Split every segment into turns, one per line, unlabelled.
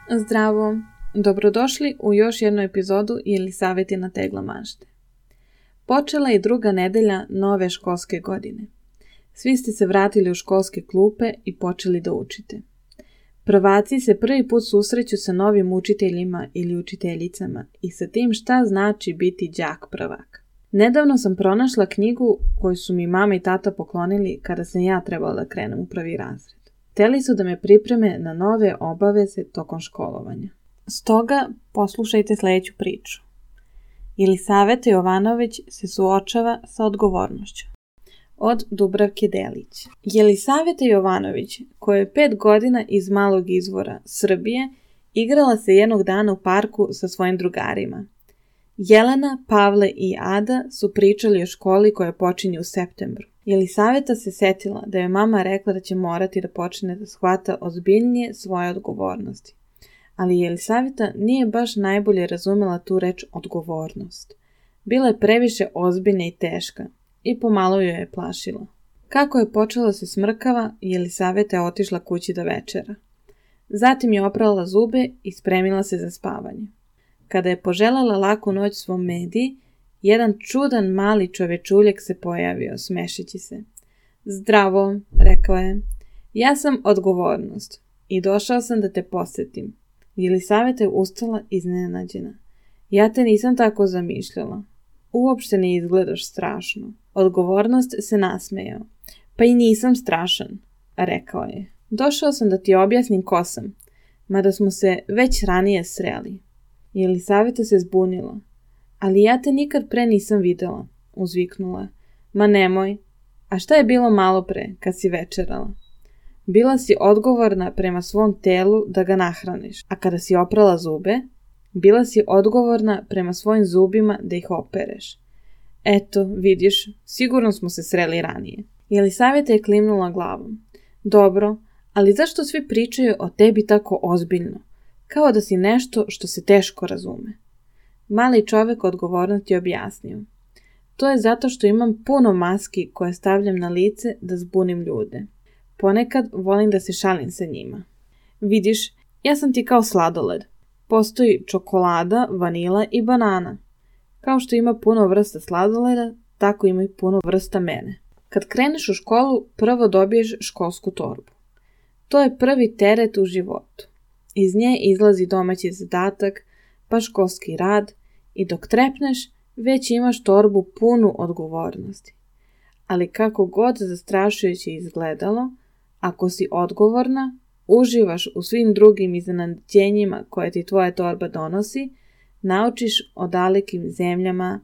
Zdravo! Dobrodošli u još jednu epizodu ili savjeti na tegla mašte. Počela je druga nedelja nove školske godine. Svi ste se vratili u školske klupe i počeli da učite. Prvaci se prvi put susreću sa novim učiteljima ili učiteljicama i sa tim šta znači biti đak prvak. Nedavno sam pronašla knjigu koju su mi mama i tata poklonili kada sam ja trebala da krenem u prvi razred. Hteli su da me pripreme na nove obaveze tokom školovanja. Stoga poslušajte sljedeću priču. Jelisaveta Jovanović se suočava sa odgovornošću. Od Dubravke Delić. Jelisaveta Jovanović, koja je 5 godina iz malog izvora Srbije, igrala se jednog dana u parku sa svojim drugarima. Jelena, Pavle i Ada su pričali o školi koja počinje u septembru. Jelisaveta se setila da je mama rekla da će morati da počne da shvata ozbiljnije svoje odgovornosti. Ali Jelisaveta nije baš najbolje razumela tu reč odgovornost. Bila je previše ozbiljna i teška i pomalo joj je plašila. Kako je počela da se smrkava, Jelisaveta je otišla kući da večera. Zatim je oprala zube i spremila se za spavanje. Kada je poželjela laku noć svom Mediji, jedan čudan mali čovečuljak se pojavio, smešeći se. Zdravo, rekao je. Ja sam odgovornost i došao sam da te posjetim. Jelisaveta je ustala iznenađena. Ja te nisam tako zamišljala. Uopšte ne izgledaš strašno. Odgovornost se nasmejao. Pa i nisam strašan, rekao je. Došao sam da ti objasnim ko sam, mada smo se već ranije sreli. Jelisaveta se zbunila. Ali ja te nikad pre nisam videla, uzviknula. Ma nemoj. A šta je bilo malo pre, kad si večerala? Bila si odgovorna prema svom telu da ga nahraniš, a kada si oprala zube, bila si odgovorna prema svojim zubima da ih opereš. Eto, vidiš, sigurno smo se sreli ranije. Jelisaveta je klimnula glavom. Dobro, ali zašto svi pričaju o tebi tako ozbiljno? Kao da si nešto što se teško razume. Mali čovjek odgovornost je objasnio. To je zato što imam puno maski koje stavljam na lice da zbunim ljude. Ponekad volim da se šalim sa njima. Vidiš, ja sam ti kao sladoled. Postoji čokolada, vanila i banana. Kao što ima puno vrsta sladoleda, tako ima i puno vrsta mene. Kad kreneš u školu, prvo dobiješ školsku torbu. To je prvi teret u životu. Iz nje izlazi domaći zadatak, pa školski rad i dok trepneš, već imaš torbu punu odgovornosti. Ali kako god zastrašujuće izgledalo, ako si odgovorna, uživaš u svim drugim iznenađenjima koje ti tvoja torba donosi, naučiš o dalekim zemljama,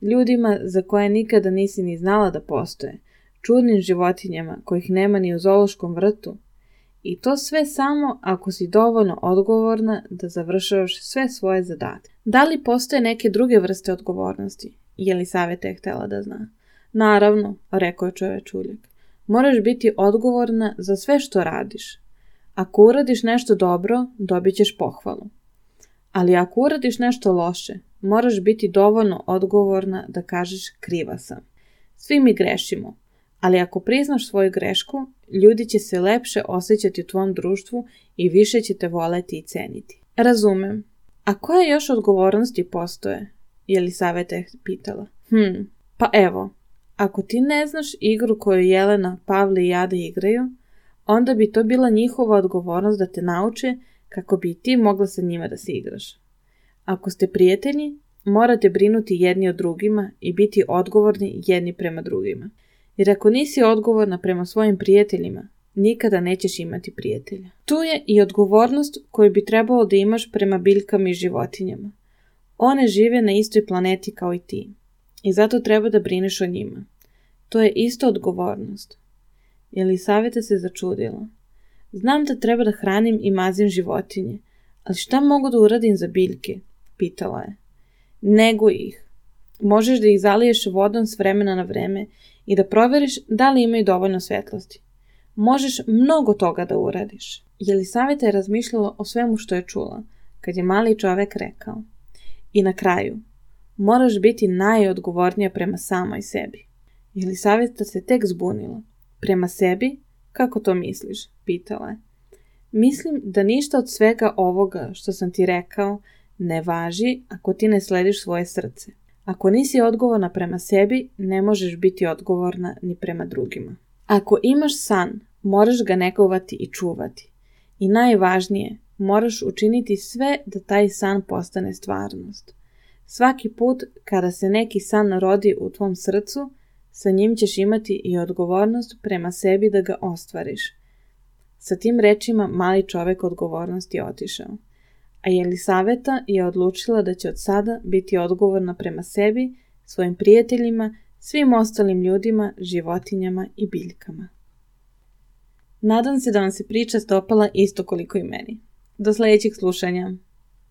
ljudima za koje nikada nisi ni znala da postoje, čudnim životinjama kojih nema ni u zoološkom vrtu. I to sve samo ako si dovoljno odgovorna da završavaš sve svoje zadatke. Da li postoje neke druge vrste odgovornosti? Jelisaveta je htjela da zna. Naravno, rekao je čovečuljak. Moraš biti odgovorna za sve što radiš. Ako uradiš nešto dobro, dobit ćeš pohvalu. Ali ako uradiš nešto loše, moraš biti dovoljno odgovorna da kažeš kriva sam. Svi mi grešimo. Ali ako priznaš svoju grešku, ljudi će se lepše osjećati u tvom društvu i više će te voleti i ceniti. Razumem. A koje još odgovornosti postoje? Jelisaveta je pitala. Pa evo, ako ti ne znaš igru koju Jelena, Pavle i Ada igraju, onda bi to bila njihova odgovornost da te nauče kako bi ti mogla sa njima da se igraš. Ako ste prijatelji, morate brinuti jedni o drugima i biti odgovorni jedni prema drugima. Jer ako nisi odgovorna prema svojim prijateljima, nikada nećeš imati prijatelja. Tu je i odgovornost koju bi trebalo da imaš prema biljkama i životinjama. One žive na istoj planeti kao i ti. I zato treba da brineš o njima. To je isto odgovornost. Jelisaveta se začudila. Znam da treba da hranim i mazim životinje, ali šta mogu da uradim za biljke? Pitala je. Neguj ih. Možeš da ih zaliješ vodom s vremena na vreme i da proveriš da li imaju dovoljno svetlosti. Možeš mnogo toga da uradiš. Jelisaveta je razmišljala o svemu što je čula, kad je mali čovek rekao. I na kraju, moraš biti najodgovornija prema samoj sebi. Jelisaveta se tek zbunila. Prema sebi? Kako to misliš? Pitala je. Mislim da ništa od svega ovoga što sam ti rekao ne važi ako ti ne slediš svoje srce. Ako nisi odgovorna prema sebi, ne možeš biti odgovorna ni prema drugima. Ako imaš san, moraš ga negovati i čuvati. I najvažnije, moraš učiniti sve da taj san postane stvarnost. Svaki put kada se neki san rodi u tvom srcu, sa njim ćeš imati i odgovornost prema sebi da ga ostvariš. Sa tim rečima mali čovek odgovornost je otišao. A Jelisaveta je odlučila da će od sada biti odgovorna prema sebi, svojim prijateljima, svim ostalim ljudima, životinjama i biljkama. Nadam se da vam se priča dopala isto koliko i meni. Do sljedećeg slušanja.